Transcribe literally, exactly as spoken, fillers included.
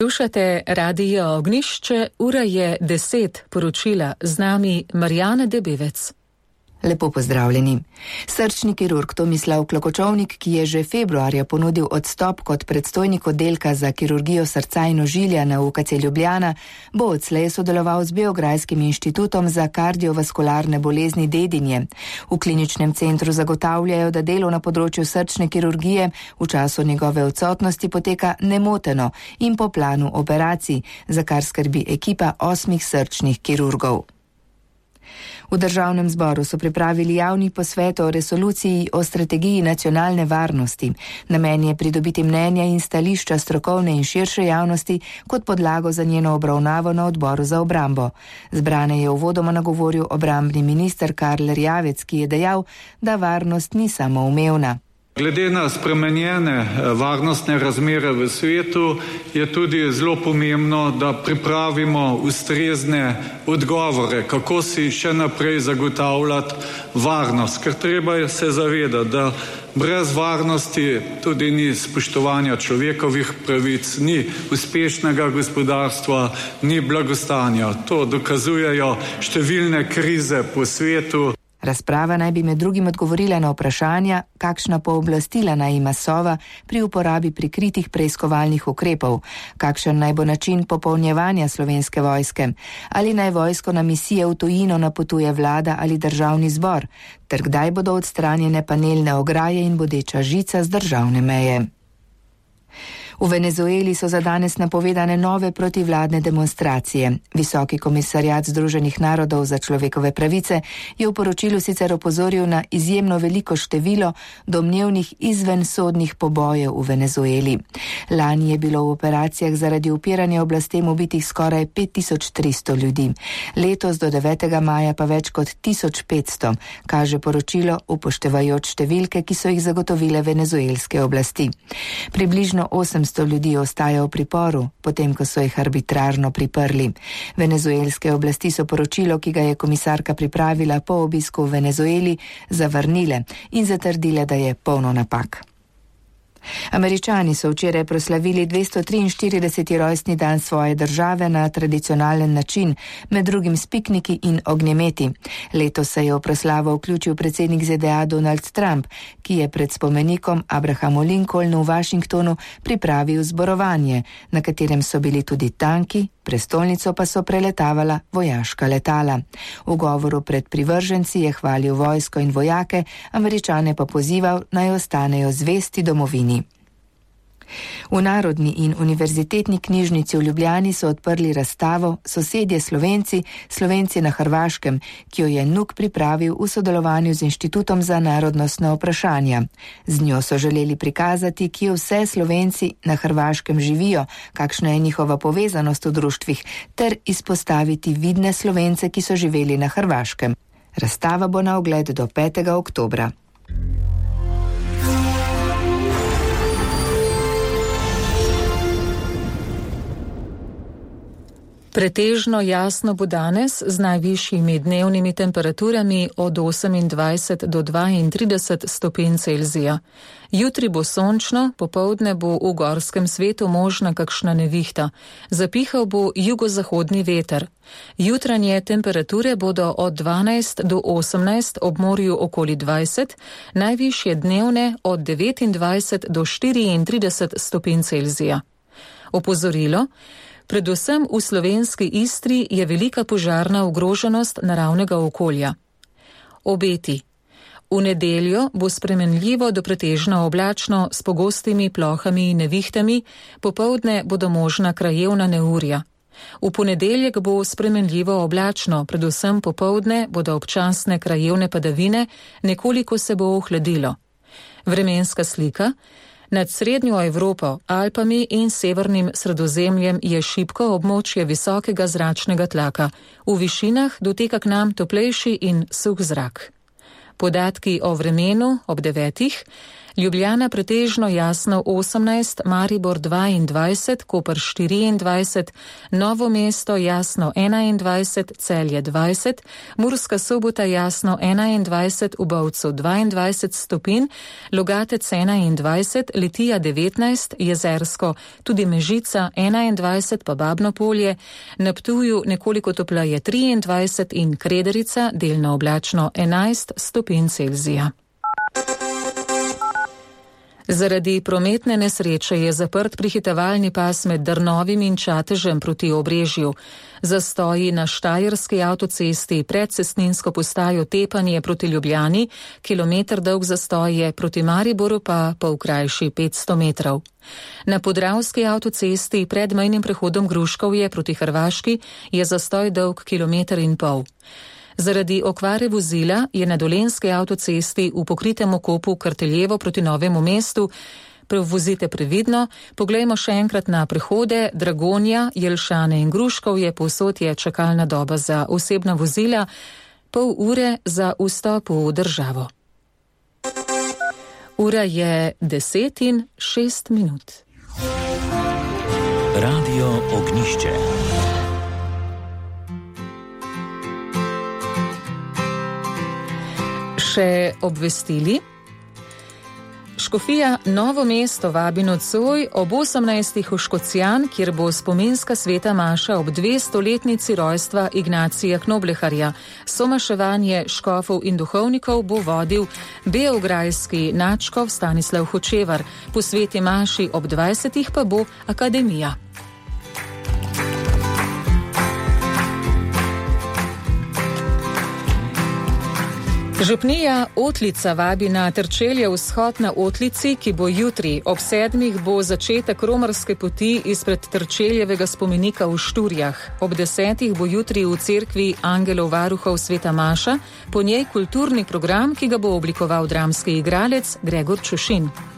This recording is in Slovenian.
Slušate Radio Ognjišče, ura je deset, poročila z nami Marjana Debevec. Lepo pozdravljeni. Srčni kirurg Tomislav Klokočovnik, ki je že februarja ponudil odstop kot predstojnik oddelka za kirurgijo srca in ožilja na U K C Ljubljana, bo odslej sodeloval z Beograjskim inštitutom za kardiovaskularne bolezni Dedinje. V kliničnem centru zagotavljajo, da delo na področju srčne kirurgije v času njegove odsotnosti poteka nemoteno in po planu operacij, za kar skrbi ekipa osmih srčnih kirurgov. V državnem zboru so pripravili javni posvet o resoluciji o strategiji nacionalne varnosti. Namen je pridobiti mnenja in stališča strokovne in širše javnosti kot podlago za njeno obravnavo na odboru za obrambo. Zbrane je uvodoma nagovoril obrambni minister Karl Erjavec, ki je dejal, da varnost ni samoumevna. Glede na spremenjene varnostne razmere v svetu je tudi zelo pomembno, da pripravimo ustrezne odgovore, kako si še naprej zagotavljati varnost. Ker treba se zavedati, da brez varnosti tudi ni spoštovanja človekovih pravic, ni uspešnega gospodarstva, ni blagostanja. To dokazujejo številne krize po svetu. Razprava naj bi med drugim odgovorila na vprašanja, kakšna pooblastila naj ima Sova pri uporabi prikritih preiskovalnih ukrepov, kakšen naj bo način popolnjevanja Slovenske vojske, ali naj vojsko na misije v tujino napotuje vlada ali državni zbor, ter kdaj bodo odstranjene panelne ograje in bodeča žica z državne meje. V Venezueli so za danes napovedane nove protivladne demonstracije. Visoki komisarjat Združenih narodov za človekove pravice je v poročilu sicer opozoril na izjemno veliko število domnevnih izvensodnih pobojev v Venezueli. Lani je bilo v operacijah zaradi upiranja oblastem ubitih skoraj pet tisoč tristo ljudi. Letos do devetega maja pa več kot tisoč petsto, kaže poročilo upoštevajoč številke, ki so jih zagotovile venezuelske oblasti. Približno osemsto ljudi ostaja v priporu, potem ko so jih arbitrarno priprli. Venezuelske oblasti so poročilo, ki ga je komisarka pripravila po obisku v Venezueli, zavrnile in zatrdile, da je polno napak. Američani so včeraj proslavili dvesto triinštirideseti rojstni dan svoje države na tradicionalen način, med drugim s pikniki in ognjemeti. Letos se je v proslavo vključil predsednik Z D A Donald Trump, ki je pred spomenikom Abrahamu Lincolnu v Washingtonu pripravil zborovanje, na katerem so bili tudi tanki, prestolnico pa so preletavala vojaška letala. V govoru pred privrženci je hvalil vojsko in vojake, Američane pa pozival, naj ostanejo zvesti domovini. V Narodni in univerzitetni knjižnici v Ljubljani so odprli razstavo Sosedje Slovenci, Slovenci na Hrvaškem, ki jo je N U K pripravil v sodelovanju z Inštitutom za narodnostna vprašanja. Z njo so želeli prikazati, kje vse Slovenci na Hrvaškem živijo, kakšna je njihova povezanost v društvih, ter izpostaviti vidne Slovence, ki so živeli na Hrvaškem. Razstava bo na ogled do petega oktobra. Pretežno jasno bo danes z najvišjimi dnevnimi temperaturami od osemindvajset do dvaintrideset stopinj Celzija. Jutri bo sončno, popoldne bo v gorskem svetu možna kakšna nevihta. Zapihal bo jugozahodni veter. Jutranje temperature bodo od dvanajst do osemnajst, ob morju okoli dvajset, najvišje dnevne od devetindvajset do štiriintrideset stopinj Celzija. Opozorilo: predvsem v slovenski Istri je velika požarna ogroženost naravnega okolja. Obeti. V nedeljo bo spremenljivo do pretežno oblačno s pogostimi plohami in nevihtami, popoldne bodo možna krajevna neurja. V ponedeljek bo spremenljivo oblačno, predvsem popoldne bodo občasne krajevne padavine, nekoliko se bo ohladilo. Vremenska slika. Nad srednjo Evropo, Alpami in severnim Sredozemljem je šibko območje visokega zračnega tlaka. V višinah doteka k nam toplejši in suh zrak. Podatki o vremenu ob devetih. Ljubljana pretežno jasno osemnajst, Maribor dvaindvajset, Koper štiriindvajset, Novo mesto jasno enaindvajset, Celje dvajset, Murska Sobota jasno enaindvajset, v Bovcu dvaindvajset stopinj, Logatec enaindvajset, Litija devetnajst, Jezersko, tudi Mežica enaindvajset pa Babno Polje, na Ptuju nekoliko topleje triindvajset in Krederica delno oblačno enajst stopinj Celzija. Zaradi prometne nesreče je zaprt prehitevalni pas med Drnovim in Čatežem proti Obrežju. Zastoji na Štajerski avtocesti pred cestninsko postajo Tepanje proti Ljubljani, kilometer dolg zastoj je, proti Mariboru pa pol krajši petsto metrov. Na Podravski avtocesti pred mejnim prehodom Gruškovje proti Hrvaški je zastoj dolg kilometer in pol. Zaradi okvare vozila je na Dolenjski avtocesti v pokritem okopu Karteljevo proti Novemu mestu. Prevozite previdno, poglejmo še enkrat na prehode Dragonja, Jelšane in Gruškovje, povsod je čakalna doba za osebna vozila, pol ure za vstop v državo. Ura je deset in šest minut. Radio Ognišče. Še obvestili. Škofija Novo mesto vabi nocoj ob osemnajstih v Škocjan, kjer bo spominska sveta maša ob dvestoletnici rojstva Ignacija Knobleharja. Somaševanje škofov in duhovnikov bo vodil beograjski nadškof Stanislav Hočevar. Po sveti maši ob dvajsetih pa bo akademija. Župnija Otlica vabi na Trčelje vzhod na Otlici, ki bo jutri. Ob sedmih bo začetek romarske poti izpred Trčeljevega spomenika v Šturjah. Ob desetih bo jutri v cerkvi Angelov varuhov sveta maša, po njej kulturni program, ki ga bo oblikoval dramski igralec Gregor Čušin.